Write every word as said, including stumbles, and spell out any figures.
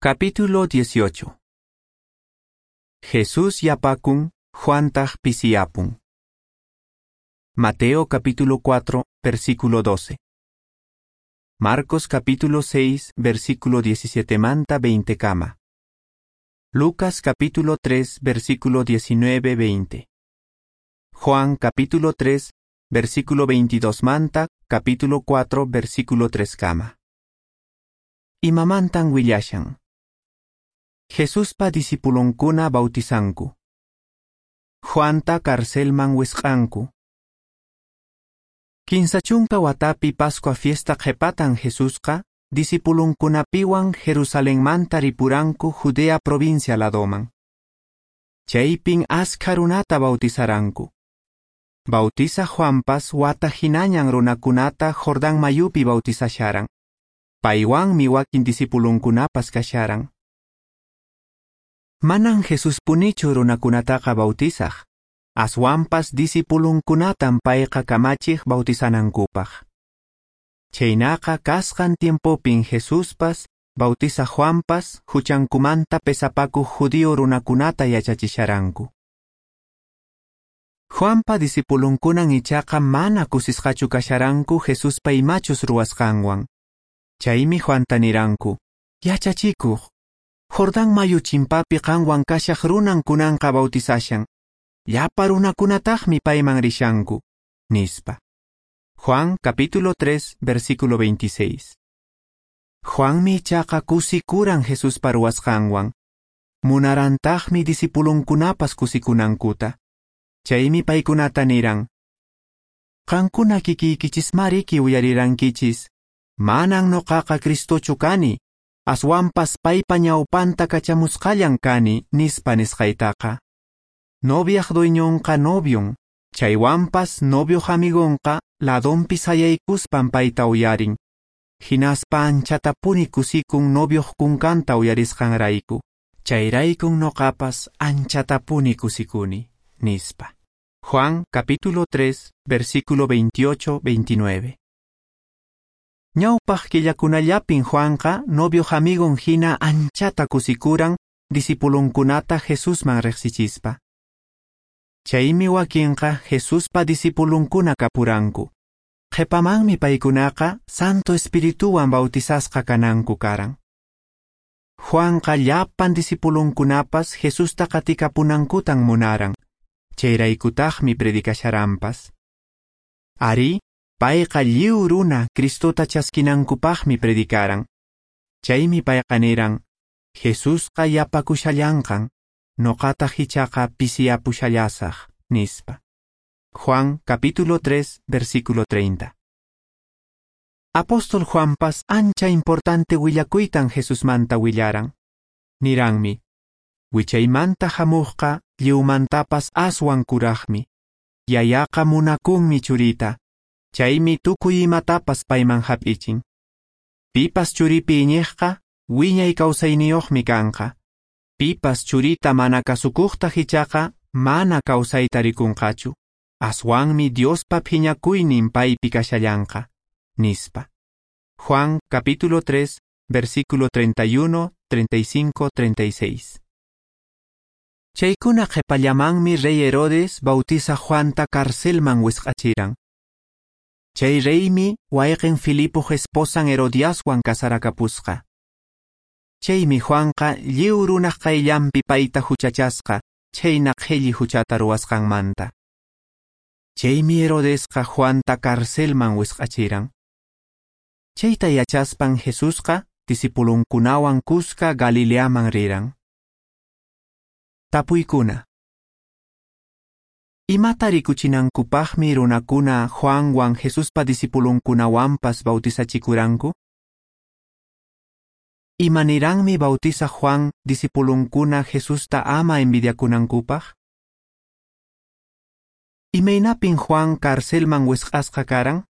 Capítulo dieciocho. Jesús yapakun, Juantaq pisiyapun. Mateo capítulo cuatro, versículo doce. Marcos capítulo seis, versículo diecisiete manta veinte kama. Lucas capítulo tres, versículo diecinueve veinte. Juan capítulo tres, versículo veintidós manta, capítulo cuatro, versículo tres kama. Imamantan willashan. Jesuspa discipulonkuna bautizanku. Juanta carcelman wisq'anku. Kinsa chunka watapi Pascua fiesta qhepatan Jesusqa discipulonkunapiwan Jerusalenmanta ripuranku Judea provincia ladoman. Chaypin askha runata bautizaranku. Bautiza Juanpas wata hinañan runakunata Jordán mayupi bautizasharan. Paywanmi wakin discipulonkunapas kasharan. Manan Jesuspunichu runakunataqa bautizaq. Aswanpas discipulonkunatan payqa kamachiq bautizanankupaq. Chaynaqa kasqan tiempopin Jesuspas, bautiza Juanpas, huchankumanta pesapakuq judío runakunata yachachisharanku. Juanpa discipulonkunan ichaqa mana kusisqachu kasharanku Jesuspa imachus ruwasqanwan. Chaymi Juanta niranku, yachachikuq, Jordán mayu chimpapi qanwan kashaq runan kunanqa bautizashan. Llapa runakunataqmi payman rishanku, nispa. Juan capítulo tres, versículo veintiséis. Juanmi ichaqa kusikuran Jesuspa ruwasqanwan. Munarantaqmi discipulonkunapas kusikunankuta. Chaymi paykunata niran, qankuna kikiykichismariki uyarirankichis, manan noqaqa Cristochu kani, aswanpas paypa ñawpanta kachamusqallan kani, nispa nisqaytaqa. Noviaq dueñonqa novion, chaywanpas novioq amigonqa ladonpi sayaykuspan payta uyarin. Hinaspa anchatapuni kusikun novioq kunkanta uyarisqanrayku. Chayraykun noqapas anchatapuni kusikuni, nispa. Juan capítulo tres, versículo veintiocho veintinueve. Ñawpaq killakunallapin Juanqa novioq amigon hina anchata kusikuran discipulonkunata Jesusman riqsichispa. Chaymi wakinqa Jesuspa discipulonkuna kapuranku. Qhipamanmi paykunaqa Santo Espirituwan bautizasqa kananku karan. Juanqa llapan discipulonkunapas Jesusta qatikapunankutan munaran. Chayraykutaqmi predicasharanpas. Ari, payqa lliw runa Cristota chaskinankupaqmi predicaran. Chaymi payqa niran, Jesusqa yapakushallanqan, noqataq ichaqa pisiyapushallasaq, nispa. Juan capítulo tres, versículo treinta. Apóstol Juanpas ancha importante willakuytan Jesusmanta willaran. Niranmi, wichaymanta hamuqqa lliwmantapas aswan kuraqmi. Yayaqa munakunmi churita. Chaymi tukuy imatapas payman hap'ichin. Pipas churipi iñiqqa wiñay kawsayniyuqmi kanqa. Pipas churita mana kasukuqtaq ichaqa mana kawsayta rikunqachu. Aswanmi Diospa phiñakuynin paypi kashallanqa, nispa. Juan capítulo tres, versículo treinta y uno, treinta y cinco, treinta y seis. Chaykuna qhipallamanmi rey Herodes bautiza Juanta carcelman wisq'achiran. Chay reymi wayqin Filipoq esposan Herodiaswan kasarakapusqa. Chaymi Juanqa lliw runaq qayllanpi payta huchachasqa, chayna qhilli huchata ruwasqanmanta. Chaymi Herodesqa Juanta carcelman wisq'achiran. Chayta yachaspan Jesusqa discipulonkunawan kuska Galileaman riran. Tapuykuna. Imata rikuchinankupaqmi runakuna Juanwan Jesuspa discipulonkunawanpas bautizachikuranku? Imaniranmi bautiza Juan discipulonkuna Jesusta ama envidiakunankupaq? Imaynapin Juan carcelman wisq'asqa karan?